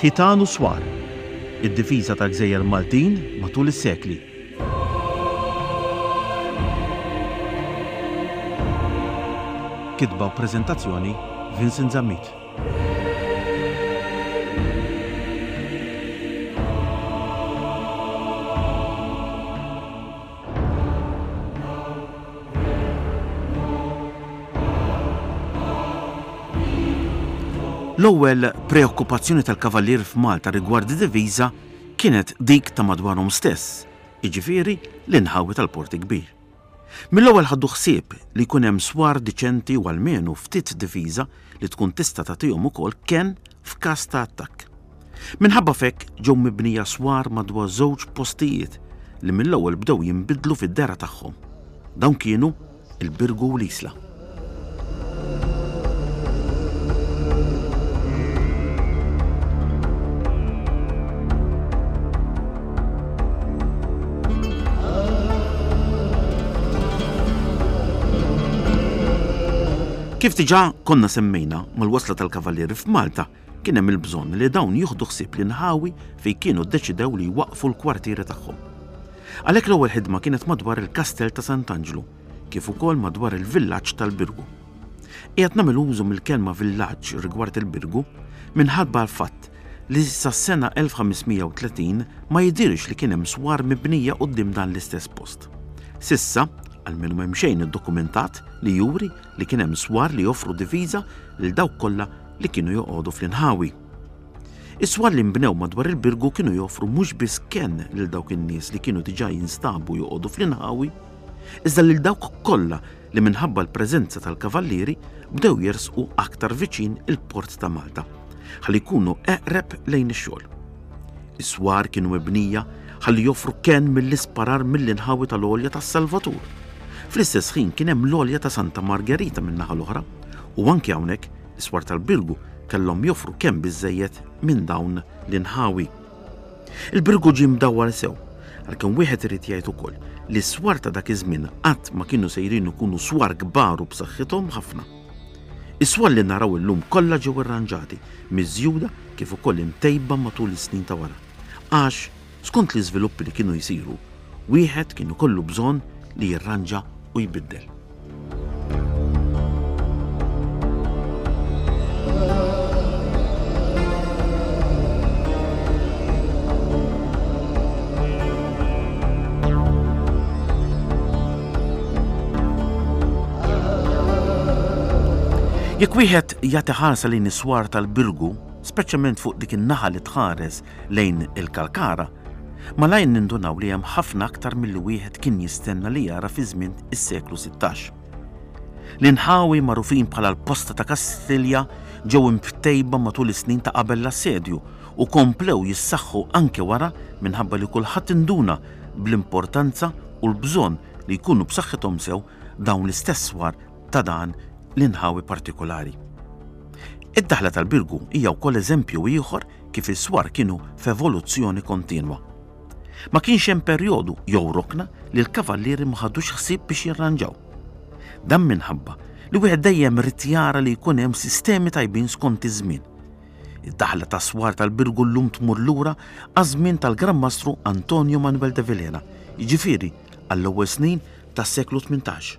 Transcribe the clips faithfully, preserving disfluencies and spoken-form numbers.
Ħitan u Swar, id-difiża tal-Gżejjer Maltin matul is-sekli. Kitba u preżentazzjoni Vincent Zammit. L-ewwel preokkupazzjoni tal-Kavallieri f'Malta rigward id-diviża kienet dik ta' madwarhom stess, jiġifieri l-inħawi tal-Port il-Kbir. Mill-ewwel ħaddu ħsieb li jkun hemm swar diċenti u almenu ftit diviża li tkun tista' tagħtihom ukoll kenn f'każ ta' attakk. Minħabba f'hekk ġew mibnija swar madwar żewġ postijiet li mill-ewwel bdew jinbidlu fid-dehra tagħhom. Dawn kienu il-Birgu u l-Isla. Kif diġà konna semmejna, mal-wasla tal-Kavallieri f'Malta kien hemm il-bżonn li dawn jieħdu ħsieb l-inħawi fejn kienu ddeċidew li jwaqqfu l-kwartieri tagħhom. Għalhekk l-ewwel ħidma kienet madwar il-Kastell ta' Sant'Anġlu, kif ukoll madwar il-villaġġ tal-Birgu. Qiegħed nagħmel użu mill-kelma villaġġ rigward il-Birgu minħabba l-fatt li sas-sena elf ħames mija u tletin ma jidhirx li kien hemm swar mibnija quddiem dan l-istess post. Sissa, almenu m'hemm xejn iddokumentat li juri li kien hemm swar li joffru diviża lil dawk kollha li kienu joqogħdu fl-inħawi. Is-swar li nbnew madwar il-Birgu kienu joffru mhux biss kenn lil dawk in-nies li kienu diġà jinstabu joqogħdu fl-inħawi, iżda lil dawk kollha li minħabba l-preżenza tal-kavallieri bdew jersqu aktar viċin il-port ta' Malta, ħalli jkunu eqreb lejn ix-xogħol. Is-swar kienu mibnija ħalli joffru kenn mill-isparar mill-inħawi tal-għolja tas-Salvatur. Fl-istess ħin kien hemm l-għolja ta' Santa Margherita min-naħa l-oħra, u anke hawnhekk is-swar tal-Birgu kellhom joffru kemm biżżejjed minn dawn l-inħawi. Il-Birgu ġie mdawwar sew, għalkemm wieħed irid jgħid ukoll li s-swar ta' dak iż-żmien qatt ma kienu sejrin ikunu swar kbar u b'saħħithom ħafna. Is-swar li naraw illum kollha ġew irranġati, miżjuda kif ukoll imtejba matul is-snin ta' wara. Għax, skont l-iżviluppi li kienu jsiru, wieħed kien ikollu bżonn li jirranġa u jbiddel. Jekk wieħed jagħti ħarsa lejn is-swar tal-Birgu, speċjalment fuq dik in-naħa li tħares lejn il-Kalkara, malajr nindunaw li hemm ħafna aktar milli wieħed kien jistenna li jara fi żmien is-seklu sittax. L-inħawi magħrufin bħala l-posta ta' Kastilja ġew imtejba matul is-snin ta' qabel l-assedju u komplew jissaħħu anke wara minħabba li kulħadd induna bl-importanza u l-bżonn li jkunu b'saħħithom sew dawn l-istess swar ta' dan l-inħawi partikolari. Id-daħla tal-Birgu hija wkoll eżempju ieħor kif is-swar kienu f'evoluzzjoni kontinwa. Ma kienx hemm perjodu jew rokna li l-kavallieri ma ħadux ħsieb biex jirranġaw. Dan minħabba li wieħed dejjem rid jara li jkun hemm sistemi tajbin skont iż-żmien. Id-daħla tas swar tal-Birgu llum tmur lura għaż-żmien tal-Gran Mastru Antonio Manuel de Vilhena, jiġifieri għall-ewwel snin tas-seklu tmintax.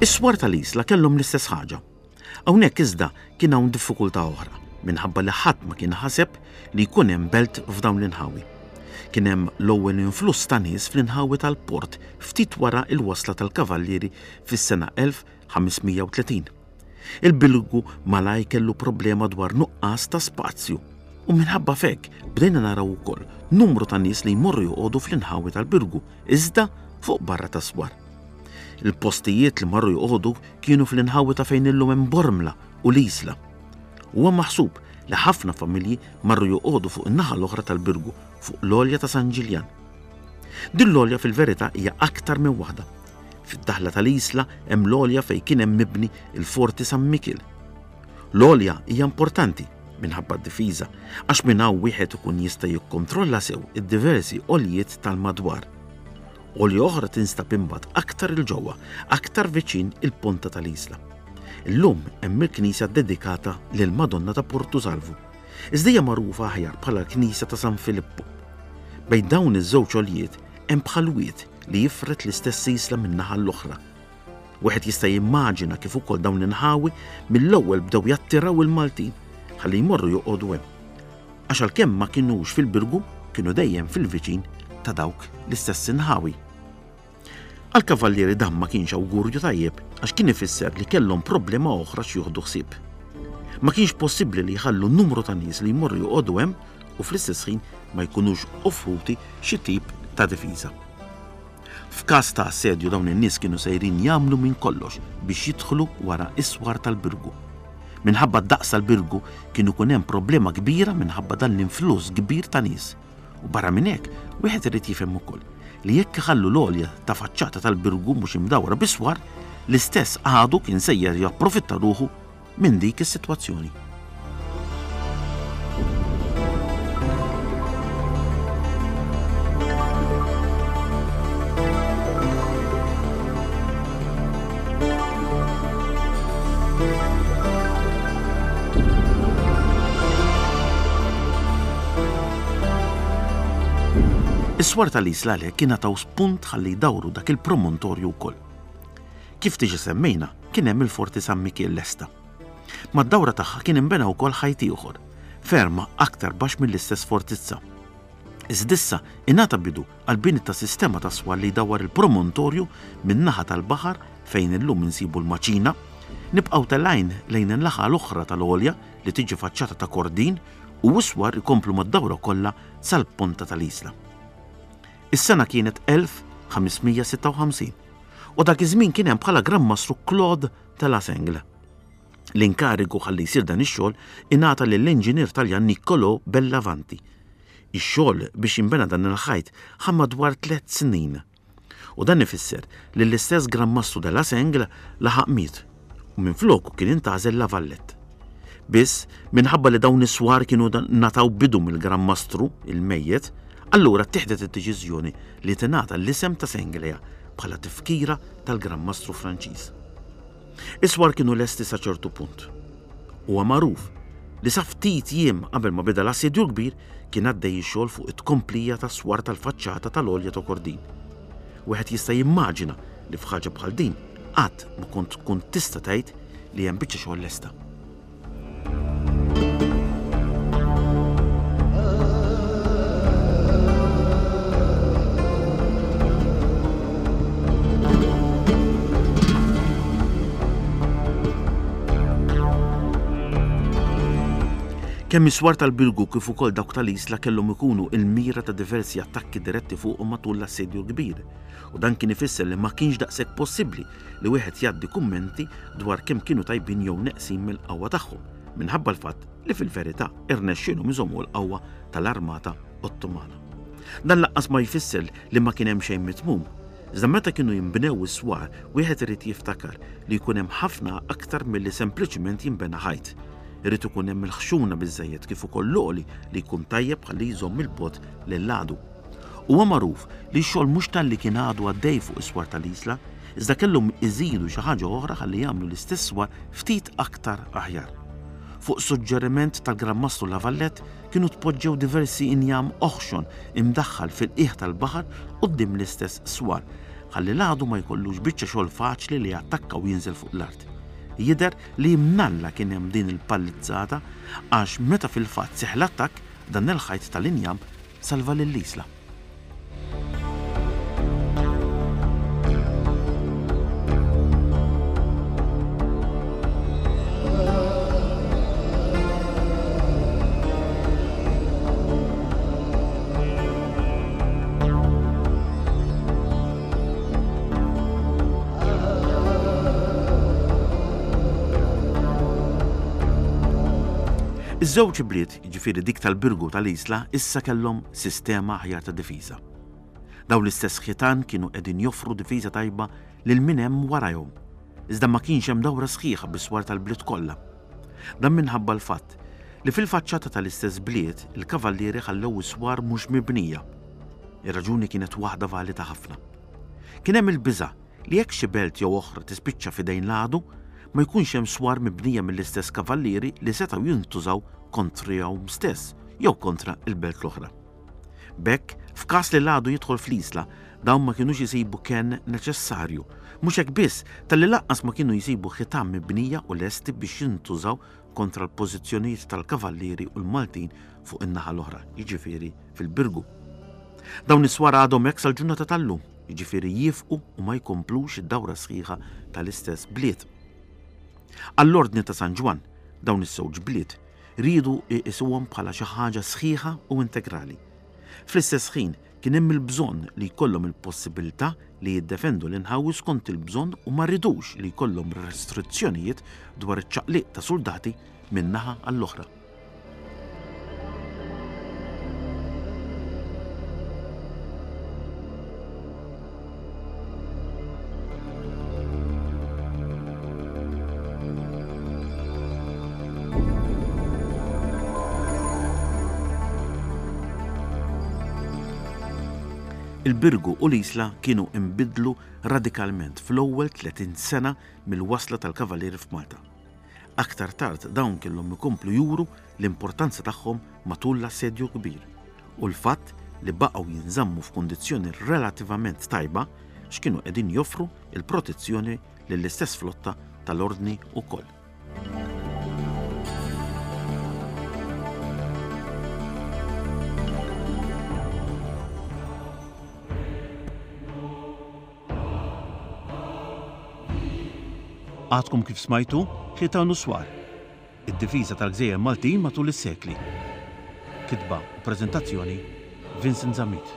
Is-swar tal-Isla kellhom l-istess ħaġa. Hawnhekk iżda kien hawn diffikultà oħra, minħabba li ħadd ma kien ħaseb li jkun hemm belt f'dawn l-inħawi. Kien hemm l-ewwel influss ta' nies fl-inħawi tal-port ftit wara l-wasla tal-kavallieri fis-sena elf ħames mija u tletin. Il-Birgu malaj kellu problema dwar nuqqas ta' spazju u minħabba f'hekk bdejna naraw ukoll numru ta' nies li jmorru joqogħdu fl-inħawi tal-Birgu, iżda fuq barra tas-swar. Il-postijiet li marru joqogħdu kienu fl-inħawi ta' fejn illum hemm Bormla u l-Isla. Huwa maħsub li ħafna familji marru joqogħdu fuq in-naħa l-oħra tal-Birgu, fuq l-għolja ta' San Ġiljan. Din l-għolja fil-verità hija aktar minn waħda. Fid-daħla tal-Isla hemm l-għolja fejn kien hemm mibni il-Forti San Mikiel. L-għolja hija importanti minħabba d-difiża, għax minn hawn wieħed ikun jista' jikkontrolla sew id-diversi għoljiet tal-madwar. Għolja oħra tinstab imbagħad aktar 'il ġewwa, aktar viċin il-ponta tal-Isla. Illum hemm il-knisja ddedikata lill-Madonna ta' Portu Salvu, iżda hija magħrufa aħjar bħala l-Knisja ta' San Filippu. Bejn dawn iż-żewġ għoljiet hemm bħal wied li jifred l-istess isla minn naħa l-oħra. Wieħed jista' jimmaġina kif ukoll dawn l-inħawi mill-ewwel bdew jattiraw il-Maltin ħalli jmorru joqogħdu hemm. Għax għalkemm ma kinux fil-Birgu, kienu dejjem fil-viċin ta' dawk l-istess inħawi. Għall-kavallieri dan ma kienx awgurju tajjeb għax kien ifisser li kellhom problema oħra x'joħdu ħsieb. Ma kienx possibbli li jħallu numru ta' nies li jmorru joqogħdu hemm u fl-istess ħin ma jkunux offruti xi tip ta' difiża. F'każ ta' assedju dawn in-nies kienu sejrin jagħmlu minn kollox biex jidħlu wara is-swar tal-Birgu. Minħabba d-daqs tal-Birgu kien ikun hemm problema kbira minħabba dan l-influss kbir ta' nies. U barra minn hekk, wieħed irid jifhem ukoll li jekk iħallu l-għolja ta' faċċata tal-Birgu mhux imdawra bis-swar, l-istess għadu kien sejjer japprofitta ruħu minn dik is-sitwazzjoni. Is-swar tal-Isla għalhekk kien ngħataw spunt ħalli jdawru dak il-promontorju wkoll. Kif diġà semmejna, kien hemm il-Forti San Mikiel lesta. Mad-dawra tagħha kien inbena wkoll ħajt ieħor, ferma aktar baxx mill-istess fortizza. Iżda issa ingħata bidu għall-bini ta' sistema ta' swar li jdawwar il-promontorju min-naħa tal-baħar fejn illum insibu l-Maċina, nibqgħu telgħin lejn in-naħa l-oħra tal-għolja li tiġi faċċata ta' Kordin u s-swar ikomplu mad-dawra kollha sal-ponta tal-Isla. Is-sena kienet elf ħames mija sitta u ħamsin u dak iż-żmien kien hemm bħala Gran Mastru Claude de la Sengle. L-inkarigu ħalli jsir dan ix-xogħol ingħata lill-inġinier Taljan Niccolò Bellavanti. Ix-xogħol biex jinbena dan il-ħajt ħa madwar tliet snin. U dan ifisser li l-istess Gran Mastru de la Sengle laħaq miet u minfloku kien intgħażel La Valette. Biss, minħabba li dawn is-swar kienu ngħataw bidu mill-Gran Mastru, il-mejjet, allura ttieħdet id-deċiżjoni li tingħata l-isem ta' Senglea bħala tifkira tal-Gran Mastru Franċiż. Is-swar kienu lesti sa ċertu punt. Huwa magħruf li sa ftit jiem qabel ma beda l-assedju l-kbir kien għaddej ix-xogħol fuq it-tkomplija tas-swar tal-faċċata tal-għolja ta' Kordin. Wieħed jista' jimmaġina li f'ħaġa bħal din qatt ma kont tkun tista' tgħid li hemm biċċa xogħol lesta. Kemm is-swar tal-Birgu kif ukoll dawk tal-Isla kellhom ikunu il-mira ta' diversi attakki diretti fuqhom matul l-assedju l-kbir, u dan kien ifisser li ma kienx daqshekk possibbli li wieħed jgħaddi kummenti dwar kemm kienu tajbin jew neqsin mill-qawwa tagħhom, minħabba l-fatt li fil-verità irnexxielhom iżommu l-qawwa tal-armata Ottomana. Dan lanqas ma jfisser li ma kien hemm xejn mitmum. Iżda meta kienu jinbnew is-swar, wieħed irid jiftakar li jkun hemm ħafna aktar milli sempliċiment jinbena ħajt. Irid ikun hemm il-ħxuna biżżejjed kif ukoll l-għoli li jkun tajjeb ħalli jżomm il-bogħod lill-għadu. Huwa magħruf li x-xogħol mhux talli kien għadu għaddej fuq is-swar tal-Isla, iżda kellhom iżidu xi ħaġa oħra ħalli jagħmlu l-istess swar ftit aktar aħjar. Fuq suġġeriment tal-Gran Mastru La Valette kienu tpoġġew diversi injam oħxon imdaħħal fil-qiegħ tal-baħar quddiem l-istess swar, ħalli l-għadu ma jkollux biċċa xogħol faċli li jattakka u jinżel fuq l-art. Jidher li mnalla kien hemm din il-pallizzata għax meta fil-fatt seħħ l-attakk dan il-ħajt tal-injam salva lill-Isla. Iż-żewġ bliet, jiġifieri dik tal-Birgu tal-Isla, issa kellhom sistema aħjar ta' difiża. Dawn l-istess ħitan kienu qegħdin joffru difiża tajba lil min hemm warajhom, iżda ma kienx hemm dawra sħiħa bis-swar tal-bliet kollha. Dan minħabba l-fatt li fil-faċċata tal-istess bliet il-kavallieri ħallew is-swar mhux mibnija. Ir-raġuni kienet waħda valida ħafna. Kien hemm il-biża' li jekk xi belt jew oħra tispiċċa f'idejn l-għadu, ma jkunx hemm swar mibnija mill-istess kavallieri li setgħu jintużaw kontrihom stess jew kontra l-belt l-oħra. B'hekk, f'każ li l-għadu jidħol fl-Isla, dawn ma kinux isibu kenn neċessarju. Mhux hekk biss, talli lanqas ma kienu jsibu ħitan mibnija u lesti biex jintużaw kontra l-pożizzjonijiet tal-kavallieri u l-Maltin fuq in-naħa l-oħra, jiġifieri fil-Birgu. Dawn is-swar għadhom hekk sal-ġurnata tal-lum, jiġifieri jiefqu u ma jkomplux id-dawra sħiħa tal-istess bliet. Għall-Ordni ta' San Ġwann, dawn iż-żewġ bliet riedu jqisuhom bħala xi ħaġa sħiħa u integrali. Fl-istess ħin, kien hemm il-bżonn li jkollhom il-possibilità li jiddefendu l-inħawi skont il-bżonn u ma ridux li jkollhom restrizzjonijiet dwar iċ-ċaqliq ta' suldati minn naħa għall-oħra. Il-Birgu u l-Isla kienu inbidlu radikalment fl-ewwel tletin sena mill-wasla tal-Kavallieri f'Malta. Aktar tard dawn kellhom ikomplu juru l-importanza tagħhom matul l-Assedju Kbir u l-fatt li baqgħu jinżammu f'kundizzjoni relattivament tajba x'kienu qegħdin joffru l-protezzjoni lill-istess flotta tal-Ordni wkoll. Għadkom kif smajtu Ħitan u Swar, id-difiża tal-gżejjer Maltin matul is-sekli. Kitba u preżentazzjoni Vincent Zammit.